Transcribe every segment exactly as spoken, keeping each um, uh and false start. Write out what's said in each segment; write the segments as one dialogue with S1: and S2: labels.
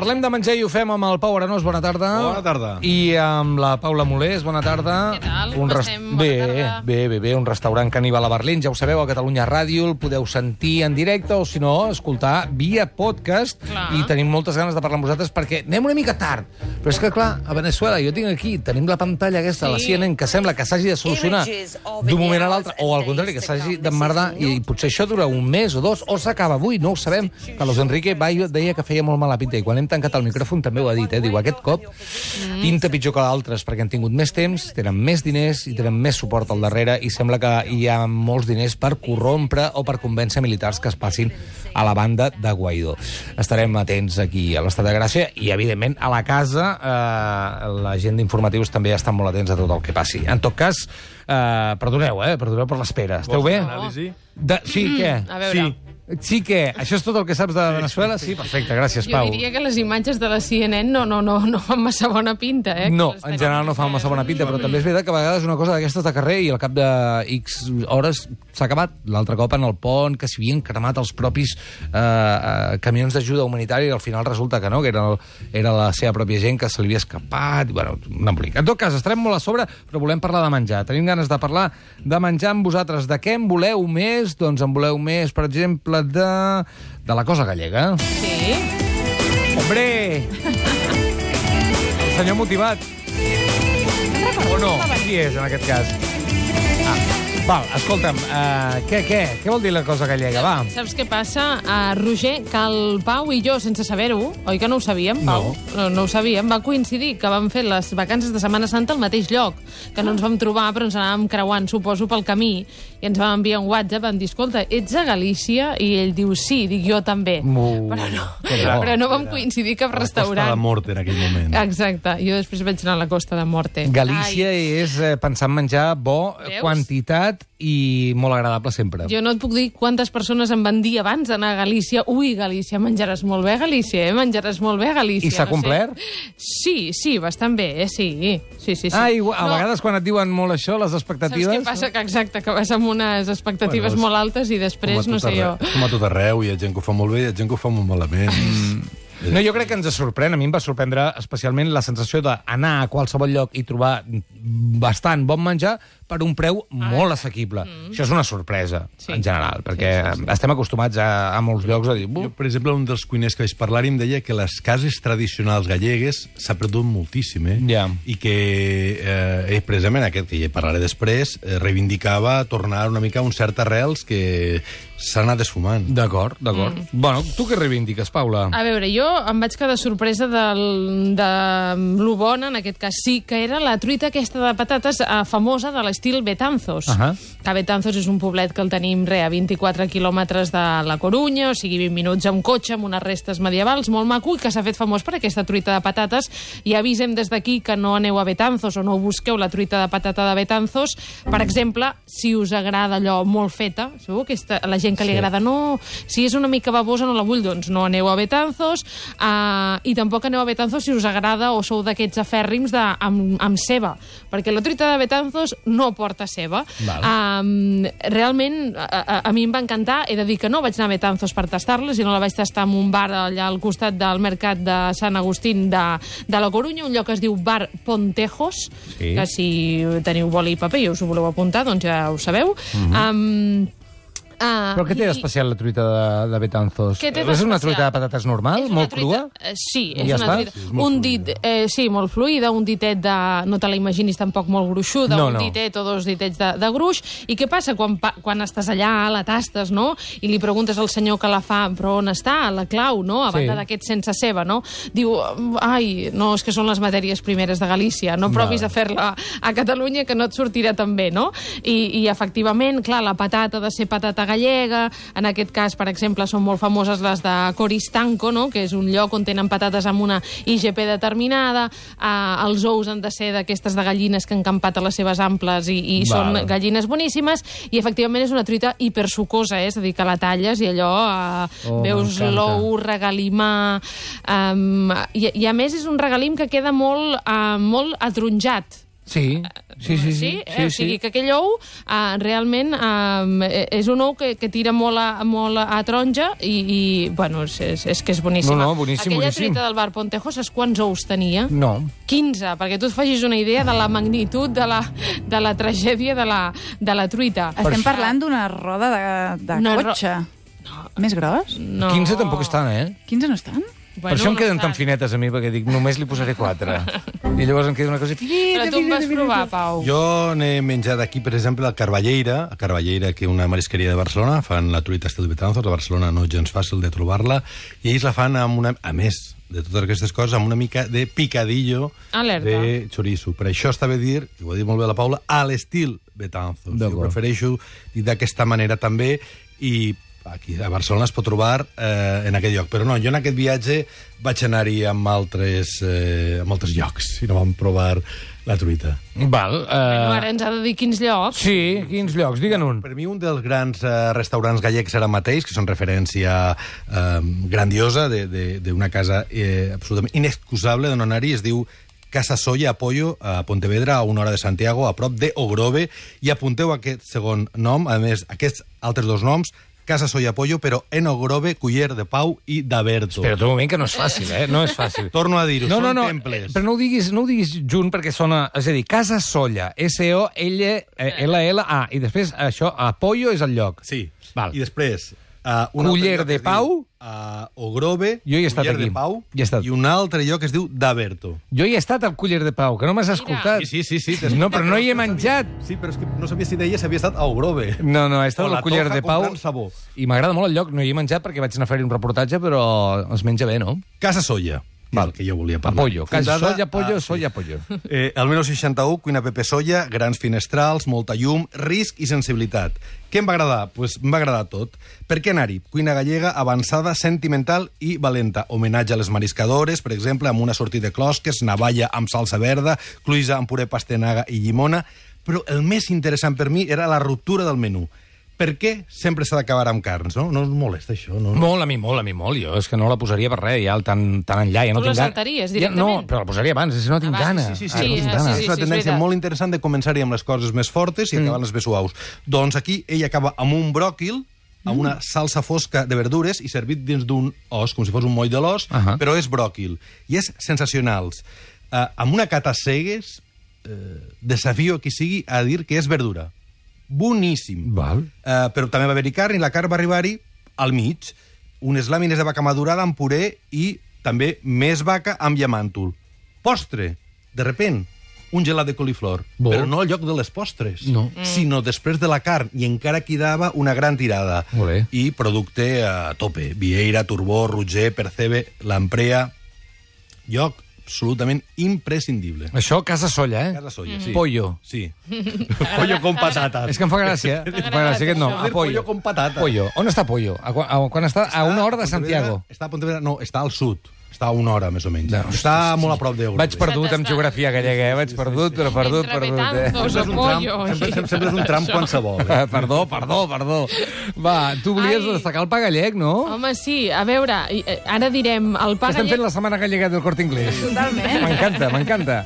S1: Parlem de menjar i ho fem amb el Pau Arenós, bona tarda.
S2: Bona tarda.
S1: I amb la Paula Molés, bona tarda.
S3: Què tal?
S1: Un
S3: Com
S1: rest...
S3: estem? Bona
S1: bé,
S3: tarda.
S1: bé, bé, bé, un restaurant caníbal a Berlín, ja ho sabeu, a Catalunya Ràdio, el podeu sentir en directe o, si no, escoltar via podcast.
S3: Clar.
S1: I tenim moltes ganes de parlar amb vosaltres perquè anem una mica tard. Però és que, clar, a Venezuela, jo tinc aquí, tenim la pantalla aquesta, sí. La C N N, que sembla que s'hagi de solucionar d'un moment a l'altre, o al contrari, que s'hagi d'emmerdar, i potser això dura un mes o dos, o s'acaba avui, no ho sabem. Carlos Enrique Bayo deia que feia molt mala pinta, i quan hem tancat el micròfon també ho ha dit, eh? Diu, aquest cop pinta pitjor que d'altres, perquè han tingut més temps, tenen més diners i tenen més suport al darrere, i sembla que hi ha molts diners per corrompre o per convèncer militars que es passin a la banda de Guaidó. Estarem atents aquí a l'Estat de Gràcia i, evidentment, a la casa eh, la gent d'informatius també estan molt atents a tot el que passi. En tot cas, eh, perdoneu, eh? Perdoneu per l'espera. Esteu bé?
S2: Anàlisi?
S1: De... Sí, què?
S3: A veure...
S1: Sí. Sí que... Això és tot el que saps de Venezuela? Sí, perfecte, gràcies,
S3: Jo
S1: Pau.
S3: diria que les imatges de la C N N no, no, no, no fan massa bona pinta, eh?
S1: No,
S3: Que les
S1: en
S3: tenim.
S1: general no fan massa bona pinta, però també és veritat que a vegades una cosa d'aquestes de carrer i al cap de X hores s'ha acabat. L'altre cop en el pont, que s'hi havien cremat els propis eh, eh, camions d'ajuda humanitària i al final resulta que no, que era, el, era la seva pròpia gent que se li havia escapat. I, bueno, un embolic. En tot cas, estarem molt a sobre, però volem parlar de menjar. Tenim ganes de parlar de menjar amb vosaltres. De què en voleu més? Doncs en voleu més, per exemple, de... de la cosa gallega.
S3: Sí.
S1: Hombre! El senyor motivat. O no? Qui és, en aquest cas? Ah, val, escolta'm, uh, què, què? Què vol dir la cosa gallega, va?
S3: Saps què passa, uh, Roger? Que el Pau i jo, sense saber-ho, oi que no ho sabíem, Pau?
S1: No.
S3: No, no ho sabíem. Va coincidir que vam fer les vacances de Setmana Santa al mateix lloc, que no ens vam trobar, però ens anàvem creuant, suposo, pel camí, i ens vam enviar un WhatsApp, vam dir, escolta, ets a Galícia? I ell diu, sí, dic jo també.
S1: Uh,
S3: però no,
S1: que bo.
S3: però no vam coincidir cap
S2: A la Costa
S3: restaurant.
S2: de Morte, en aquell moment.
S3: Exacte. Jo després vaig anar a la Costa de Morte.
S1: Galícia
S3: Ai,
S1: és eh, pensar en menjar bo,
S3: Veus?
S1: quantitat i molt agradable sempre.
S3: jo no et puc dir quantes persones em van dir abans d'anar a Galícia. Ui, Galícia, menjaràs molt bé a Galícia, eh? Menjaràs molt bé a Galícia.
S1: I s'ha
S3: no sé.
S1: complert?
S3: Sí, sí, bastant bé, eh? Sí, sí, sí. sí.
S1: Ah, igual, a
S3: No,
S1: vegades quan et diuen molt això, les
S3: saps
S1: expectatives...
S3: què passa? Que exacte, que vas amb unes expectatives
S2: Bueno, és
S3: molt altes i després,
S2: Com a
S3: no
S2: tot
S3: sé jo...
S2: arreu- Com a tot arreu, hi ha gent que ho fa molt bé i hi ha gent que ho fa molt malament.
S1: No, jo crec que ens sorprèn. A mi em va sorprendre especialment la sensació d'anar a qualsevol lloc i trobar bastant bon menjar per un preu molt assequible. Mm. Això és una sorpresa,
S3: Sí.
S1: en general, perquè
S3: Sí, sí, sí.
S1: estem acostumats a, a molts llocs a dir...
S2: Jo,
S1: "Bu,
S2: per exemple, un dels cuiners que vaig parlar em deia que les cases tradicionals gallegues s'ha perdut moltíssim, eh?
S1: Ja.
S2: I que, eh, ell, precisament, aquest que ja parlaré després, eh, reivindicava tornar una mica a un cert arrels que s'ha anat esfumant.
S1: D'acord, d'acord. Mm. Bueno, tu què reivindiques, Paula?
S3: A veure, jo em vaig quedar sorpresa del, de lo bona, en aquest cas sí, que era la truita aquesta de patates eh, famosa de l'estil Betanzos.
S1: Ahà.
S3: Que Betanzos és un poblet que el tenim, re, a vint-i-quatre quilòmetres de la Corunya, o sigui, vint minuts amb cotxe, amb unes restes medievals, molt maco, i que s'ha fet famós per aquesta truita de patates. I avisem des d'aquí que no aneu a Betanzos o no busqueu la truita de patata de Betanzos. Per exemple, si us agrada allò molt feta, segur que esta, la gent que li
S1: Sí.
S3: agrada, no, si és una mica babosa no la vull, doncs no aneu a Betanzos, uh, i tampoc aneu a Betanzos si us agrada o sou d'aquests afèrrims de, amb, amb ceba, perquè la truita de Betanzos no porta ceba. Um, realment, a, a, a mi em va encantar, he de dir que no vaig anar a Betanzos per tastar-la, sinó la vaig tastar en un bar allà al costat del mercat de Sant Agustín de, de la Corunya, un lloc que es diu Bar Pontejos,
S1: Sí.
S3: que si teniu boli i paper i us ho voleu apuntar, doncs ja ho sabeu. Mm-hmm. um, Uh,
S1: Però què té d'especial la truita de, de Betanzos?
S3: Què té
S1: És una
S3: d'especial?
S1: truita de patates normal,
S3: És una
S1: molt
S3: truita-
S1: crua?
S3: eh, Sí,
S1: I
S3: és
S1: ja
S3: una
S1: està?
S3: truita.
S2: Sí, és molt
S3: un
S2: fluida.
S3: dit, eh, sí, molt fluida, un ditet de... No te la imaginis tampoc molt gruixuda,
S1: No,
S3: un
S1: no.
S3: ditet o dos ditets de, de gruix. I què passa quan, pa- quan estàs allà, la tastes, no? I li preguntes al senyor que la fa, però on està la clau, no? A
S1: Sí.
S3: banda d'aquest sense ceba, no? Diu, ai, no, és que són les matèries primeres de Galícia, no provis
S1: Vale.
S3: a fer-la a Catalunya que no et sortirà tan bé, no? I, I efectivament, clar, la patata ha de ser patata gallega, en aquest cas, per exemple, són molt famoses les de Coristanco, no? Que és un lloc on tenen patates amb una I G P determinada, eh, els ous han de ser d'aquestes de gallines que han campat a les seves amples i, i són
S1: Val.
S3: gallines boníssimes, i efectivament és una truita hipersucosa, eh? És a dir, que la talles i allò eh,
S1: Oh,
S3: veus
S1: m'encanta.
S3: l'ou, regalimar, um, i, i a més és un regalim que queda molt, uh, molt atronjat.
S1: Sí, sí, sí.
S3: Sí?
S1: sí,
S3: Eh?
S1: sí,
S3: O sigui
S1: sí.
S3: que aquell ou eh, realment eh, és un ou que, que tira molt a, molt a taronja i, i bueno, és, és, és que és boníssima.
S1: No, no, boníssim,
S3: Aquella
S1: boníssim.
S3: truita del bar Pontejo, saps quants ous tenia?
S1: No.
S3: quinze, perquè tu et facis una idea de la magnitud de la, de la tragèdia de la, de la truita.
S4: Estem parlant d'una roda de, de
S3: Una ro-
S4: cotxe. Més gros?
S3: No.
S1: quinze tampoc estan, eh?
S4: quinze no estan?
S1: Per això em
S3: no
S1: queden
S3: estan.
S1: tan finetes a mi, perquè dic, només li posaré quatre. I llavors em queda una cosa finita,
S3: Però tu em vas
S1: finita,
S3: provar,
S1: finita.
S3: Pau.
S2: Jo n'he menjat aquí, per exemple, a Carballeira, a Carballeira, que és una marisqueria de Barcelona, fan la truita estil Betanzos, a Barcelona no és gens fàcil de trobar-la, i ells la fan amb una... A més de totes aquestes coses, amb una mica de picadillo
S3: Alerta.
S2: de chorizo. Per això estava a dir, que ho ha dit molt bé la Paula, a l'estil Betanzos. Jo
S1: D'acord.
S2: prefereixo dir d'aquesta manera també, i aquí a Barcelona es pot trobar eh, en aquest lloc. Però no, jo en aquest viatge vaig anar-hi amb altres, eh, amb altres llocs i no vam provar la truita.
S1: Val.
S3: No,
S1: Uh...
S3: ara ens ha de dir quins llocs.
S1: Sí, quins llocs? Digue'n un.
S2: Per mi un dels grans eh, restaurants gallecs ara mateix, que són referència eh, grandiosa de- de- d'una casa eh, absolutament inexcusable de no anar-hi, es diu Casa Soya Apoyo, a Pontevedra, a una hora de Santiago, a prop de Ogrove, i apunteu aquest segon nom, a més, aquests altres dos noms, Casa Soya Apoyo, però en Ogrove, Culler de Pau i d'Aberto.
S1: Espera't un moment, que no és fàcil, eh? No és fàcil.
S2: Torno a dir-ho,
S1: no,
S2: són
S1: no, no,
S2: temples.
S1: però no ho diguis, no ho diguis junt perquè sona... És a dir, Casa Solla, S O L L L A, i després això, Apoyo és el lloc.
S2: Sí,
S1: Val.
S2: i després... Uh, un
S1: Culler
S2: altre lloc
S1: de
S2: que es
S1: Pau.
S2: diu, Uh, Ogrove,
S1: Jo hi he estat
S2: Culler
S1: aquí.
S2: de Pau,
S1: Hi he estat.
S2: i un altre lloc que es diu d'Aberto.
S1: Jo hi he estat al Culler de Pau, que no m'has escoltat.
S2: Sí, sí, sí. sí
S1: No, però no hi he menjat.
S2: Sí, però és que no sabia si deia si havia estat a Ogrove.
S1: No, no, he estat
S2: O la
S1: al Culler
S2: Toja
S1: de Pau
S2: comprant sabó.
S1: i m'agrada molt el lloc. No hi he menjat perquè vaig anar a fer-hi un reportatge, però es menja bé, no?
S2: Casa Soya, Val. que jo volia parlar.
S1: Apoyo. Casa
S2: Fundada
S1: Solla, Apoyo,
S2: a-
S1: Solla, Apoyo.
S2: Eh, el dinou seixanta-u, cuina Pepe Soya, grans finestrals, molta llum, risc i sensibilitat. Què em va agradar? Pues em va agradar tot. Per què anar-hi? Cuina gallega avançada, sentimental i valenta. Homenatge a les mariscadores, per exemple, amb una sortida de closques, navalla amb salsa verda, cluïsa amb puré pastenaga i llimona. Però el més interessant per mi era la ruptura del menú. Per què sempre s'ha d'acabar amb carns, no? No us molesta això, no?
S1: Molt, a mi molt, a mi molt. Jo és que no la posaria per res, ja tan, tan enllà. Ja no
S3: Tu la
S1: tinc gana-
S3: saltaries
S1: Ja,
S3: directament?
S1: no, però la posaria abans, és que no tinc
S3: Abans,
S1: gana.
S2: Sí, sí, sí,
S1: Ah,
S3: sí,
S1: no tinc
S3: sí,
S1: gana.
S3: sí,
S2: és una
S3: sí, és
S2: tendència
S3: veritat.
S2: molt interessant de començar-hi amb les coses més fortes i acabar amb les més suaus. Doncs aquí ell acaba amb un bròquil, amb una salsa fosca de verdures i servit dins d'un os, com si fos un moll de l'os,
S1: Ahà.
S2: però és bròquil. I és sensacionals. Uh, amb una cata cegues, uh, desafio a qui sigui a dir que és verdura. Boníssim.
S1: Val.
S2: Uh, però també va haver-hi carn i la carn va arribar-hi al mig. Unes làmines de vaca madurada amb puré i també més vaca amb llamàntol. Postre, de repent, un gelat de coliflor.
S1: Bo.
S2: Però no al lloc de les postres,
S1: No.
S2: sinó després de la carn. I encara quedava una gran tirada.
S1: Molt bé.
S2: I producte a tope. Vieira, Turbó, Roger, Percebe, Lamprea... Lloc absolutament imprescindible.
S1: Això, Casa Solla, eh?
S2: Casa Solla, sí.
S1: Pollo.
S2: Sí. Pollo con patatas.
S1: És que em fa gràcia. Em fa gràcia aquest nom.
S2: Joder,
S1: A Pollo.
S2: pollo con patatas.
S1: Pollo. On està Pollo? A, quan, a, quan està? A una hora de
S2: Pontevedra-
S1: Santiago.
S2: Està a Pontevedra, no, està al sud. Està a una hora, més o menys.
S1: No,
S2: està molt a prop d'Euro.
S1: Vaig perdut amb geografia gallega, eh? Vaig perdut, però perdut,
S3: Entre
S1: perdut, eh?
S3: Betanzos
S2: Sempre
S3: o
S2: és un
S3: pollo.
S2: tram, sempre, sempre, sempre és un tram qualsevol. Eh?
S1: Ah, Perdó, perdó, perdó. Va, tu volies
S3: Ai.
S1: destacar el pa gallec, no?
S3: Home, sí, a veure, i, eh, ara direm el pa
S1: Estem fent
S3: gallec...
S1: la setmana gallega del Corte Inglés.
S4: Totalment.
S1: M'encanta, m'encanta.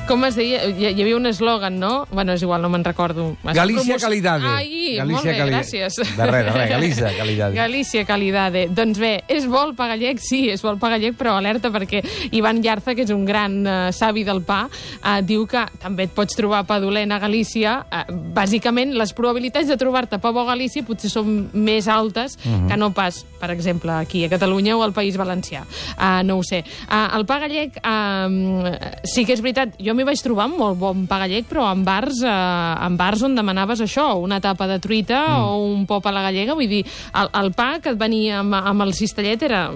S3: Com es deia? Hi, hi havia un eslògan, no? Bueno, és igual, no me'n recordo. Es
S1: Galícia
S3: promoci-
S1: Calidade.
S3: Ai,
S1: Galícia
S3: molt bé,
S1: Cali-
S3: gràcies.
S1: De res, de res, Galícia Calidade.
S3: Galícia Calidade. Doncs bé, és bo el pa gallec? Sí, és bo el pa gallec, però alerta perquè Ivan Llarza, que és un gran uh, savi del pa, uh, diu que també et pots trobar pa dolent a Galícia. Uh, bàsicament, les probabilitats de trobar-te pa bo a Galícia potser són més altes uh -huh. que no pas, per exemple, aquí a Catalunya o al País Valencià. Uh, no ho sé. Uh, el pa gallec, uh, sí que és veritat, jo m'hi vaig trobar amb molt bon pa gallec, però en bars, uh, en bars on demanaves això, una tapa de truita mm. o un pop a la gallega, vull dir, el, el pa que et venia amb, amb el cistellet era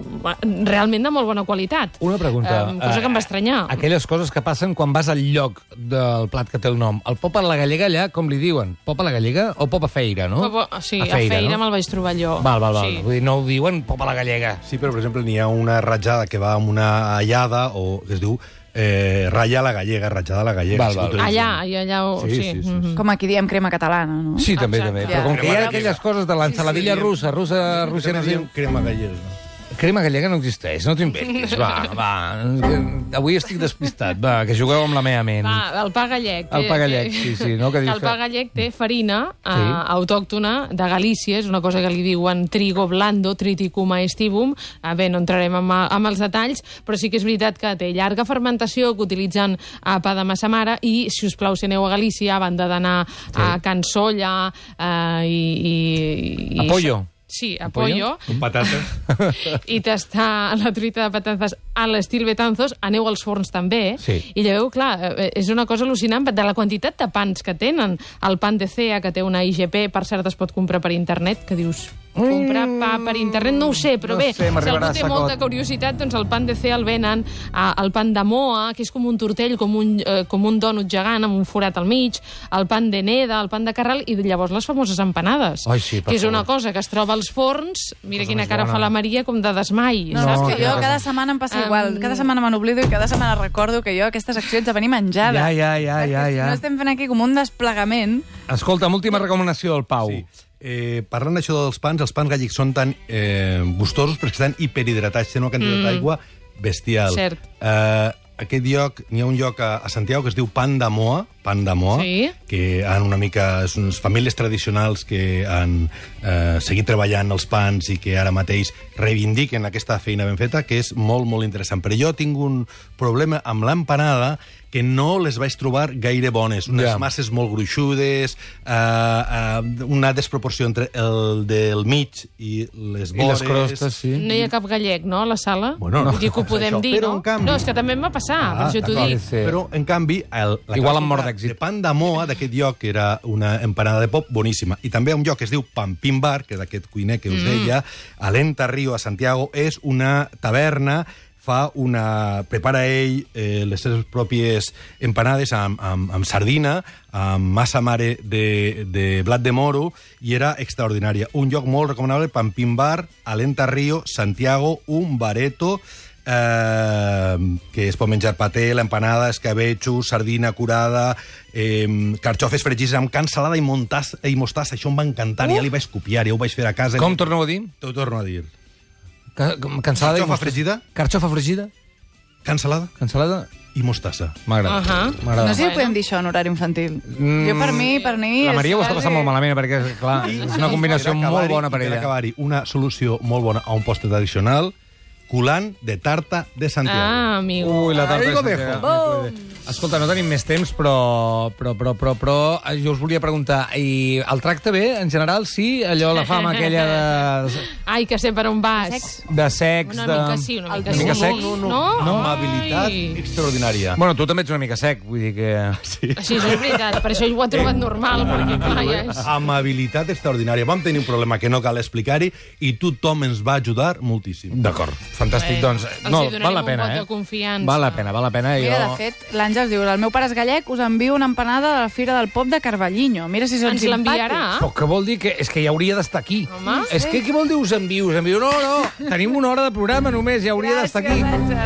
S3: realment de molt bona qualitat.
S1: Una pregunta.
S3: Uh, cosa que em va estranyar.
S1: Uh, aquelles coses que passen quan vas al lloc del plat que té el nom. El pop a la gallega allà, com li diuen? Pop a la gallega o pop a feira, no?
S3: Pop a- sí, a feira,
S1: no?
S3: me'l vaig trobar jo.
S1: Val, val, val.
S3: Sí.
S1: Vull dir, no ho diuen pop a la gallega.
S2: Sí, però, per exemple, n'hi ha una ratjada que va amb una allada, o que es diu eh, ratlla a la gallega, ratjada a la gallega.
S1: Val,
S2: si
S1: val.
S2: utilitzen.
S3: Allà, i allà... ho-
S2: Sí,
S3: Sí,
S2: sí, sí,
S3: mhm.
S4: Com aquí diem crema catalana, no?
S1: Sí, també,
S3: Exacte.
S1: també.
S4: Ja.
S1: Però com que hi ha
S2: Crema
S1: aquelles
S2: gallega.
S1: coses de l'ensaladilla
S2: Sí, sí,
S1: russa, russa, russa, no
S2: També
S1: sé...
S2: diem crema gallega.
S1: Crema gallega no existeix, no t'ho inventis. Va, va. Avui estic despistat. Va, que jugueu amb la meva ment.
S3: Va, el pa gallec.
S1: El pa gallec, sí, sí. No? Que dius
S3: el pa
S1: que...
S3: gallec té farina eh,
S1: Sí.
S3: autòctona de Galícia, és una cosa que li diuen trigo blando, triticum aestivum. Eh, bé, no entrarem amb, amb els detalls, però sí que és veritat que té llarga fermentació, que utilitzen eh, pa de massa mare, i, si us plau, si aneu a Galícia, a banda d'anar sí. a Can Solla eh, i, i, i...
S1: A Pollo.
S3: Sí, a Pollo.
S2: Amb patates.
S3: I tastar la truita de patates a l'estil Betanzos, aneu als forns també,
S1: Sí.
S3: i lleveu, clar, eh, és una cosa al·lucinant de la quantitat de pans que tenen. El pan de C E A, que té una I G P, per cert, es pot comprar per internet, que dius, comprar pa per internet, no ho sé, però
S1: no
S3: bé,
S1: sé,
S3: si
S1: m'arribarà
S3: algú té
S1: a
S3: molta
S1: sacot.
S3: curiositat, doncs el pan de C E A el venen, eh, el pan de Moa, que és com un tortell, com un, eh, com un dònut gegant amb un forat al mig, el pan de Neda, el pan de Carral, i llavors les famoses empanades,
S1: Ai, sí, per
S3: que és una
S1: favor.
S3: cosa que es troba als forns, mira
S1: Cosa
S3: quina
S1: més
S3: cara
S1: bona.
S3: fa la Maria, com de desmai.
S4: No, no,
S3: saps?
S4: és que
S1: quina
S4: jo
S1: cosa.
S4: cada setmana em passa
S3: Em-
S4: igual. Cada setmana me n'oblido i cada setmana recordo que jo aquestes accions de venir menjada.
S1: Ja, ja, ja,
S4: Perquè
S1: ja,
S4: si
S1: ja.
S4: no estem fent aquí com un desplegament.
S1: Escolta, última recomanació del Pau.
S2: Sí. Eh, parlant d'això dels pans, els pans gallecs són tan eh, gustosos perquè estan hiperhidratats, tenen una quantitat
S3: Mm.
S2: d'aigua bestial.
S3: Cert.
S2: Eh, aquest lloc, n'hi ha un lloc a, a Santiago que es diu Pan de Moa, Pan de Moa,
S3: Sí.
S2: que han una mica... són unes famílies tradicionals que han eh, seguit treballant els pans i que ara mateix reivindiquen aquesta feina ben feta, que és molt, molt interessant. Però jo tinc un problema amb l'empanada que no les vaig trobar gaire bones. Unes
S1: Ja.
S2: yeah. masses molt gruixudes, eh, eh, una desproporció entre el del mig i les
S1: I
S2: vores.
S1: les crostes, sí.
S3: No hi ha cap gallec, no, a la sala?
S2: Bueno, no.
S3: Vull dir que ho podem
S2: Això,
S3: dir,
S2: però
S3: no?
S2: en canvi-
S3: No, és que també em va passar,
S2: Ah,
S3: per això t'ho
S2: d'acord.
S3: dic.
S1: Sí.
S2: Però, en canvi, el, la
S1: Igual
S2: clàssica
S1: amb mort d'èxit.
S2: de Pan de Moa, d'aquest lloc, que era una empanada de pop boníssima. I també un lloc que es diu Pampín Bar, que d'aquest cuiner que us deia, a l'Entarrio, a Santiago, és una taverna, fa una... prepara ell eh, les seves pròpies empanades amb, amb, amb sardina, amb massa mare de, de blat de moro, i era extraordinària. Un lloc molt recomanable, Pampín Bar, a l'Entarrio, Santiago, un bareto, eh, que es pot menjar paté, l'empanada, escabetxo, sardina curada, eh, carxofes fregides amb can salada i, montassa, i mostassa. Això em va encantar, uh! ja li vaig copiar, ja ho vaig fer a casa.
S1: Com torneu a dir?
S2: T'ho torno a dir.
S1: Ca- com- Cansalada i
S2: Carxofa
S1: mostassa.
S2: fregida?
S1: Carxofa fregida?
S2: Can salada
S1: Cansalada?
S2: i mostassa.
S1: M'agrada.
S3: Ahà.
S1: M'agrada.
S4: No sé si
S3: Bueno.
S4: podem dir això en horari infantil.
S1: Mm,
S4: Jo, per mi, per mi...
S1: La
S4: és
S1: Maria ho està
S4: quasi-
S1: passant molt malament, perquè, clar, és una combinació
S2: Per
S1: molt
S2: acabar-hi-
S1: bona per
S2: i
S1: ella.
S2: acabar-hi, una solució molt bona a un postre tradicional, culant de tarta de Santiago.
S3: Ah, amigo.
S1: Ui, la tarta
S2: Ahí
S1: de
S2: lo
S1: Santiago.
S2: dejo.
S1: No puede. Escolta, no tenim més temps, però, però, però, però, però eh, jo us volia preguntar, i el tracte bé, en general, sí? Allò, la fama aquella de,
S3: Ai, que sé per on vas.
S1: de sex,
S3: Una
S1: de...
S3: mica sí, una mica
S1: Una
S3: sí.
S1: mica sec?
S2: No, no,
S3: No?
S2: no. Amabilitat
S3: Ai.
S2: extraordinària.
S1: Bueno, tu també ets una mica sec, vull dir que...
S2: Sí.
S3: Així és veritat, per això ho he trobat normal, perquè clar, ja és...
S2: Amabilitat extraordinària. Vam tenir un problema que no cal explicar-hi i tothom ens va ajudar moltíssim.
S1: D'acord, fantàstic,
S3: Bé,
S1: doncs...
S3: els
S1: No,
S3: hi donarem
S1: val la
S3: un
S1: pena,
S3: vot
S1: eh?
S3: de confiança.
S1: Val la pena, val la pena.
S4: Mira,
S1: jo...
S4: de fet, l'Àngels diu, el meu pare és gallec, us envio una empanada de la Fira del Pop de Carballiño. Mira si són
S3: Ens l'enviarà?
S1: Però què vol dir? Que, és que ja hauria d'estar aquí.
S3: Home.
S1: És que què vol dir us envio? Us envio? No, no, tenim una hora de programa només, ja hauria d'estar aquí.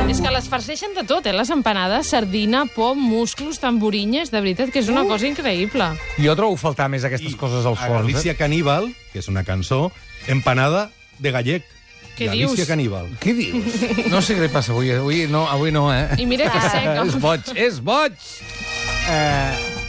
S3: És que les farceixen de tot, eh? Les empanades, sardina, pom, musclos, tamborinyes, de veritat que és una cosa increïble.
S1: Jo trobo faltar més aquestes coses als
S2: A
S1: forns.
S2: Galícia
S1: Eh?
S2: Caníbal, que és una cançó, empanada de gallec.
S3: Què
S2: Galícia
S3: dius?
S2: Caníbal.
S1: Què dius? No sé què li passa avui. Avui no, avui no eh?
S3: I mira que seca.
S1: És boig, és boig! Eh,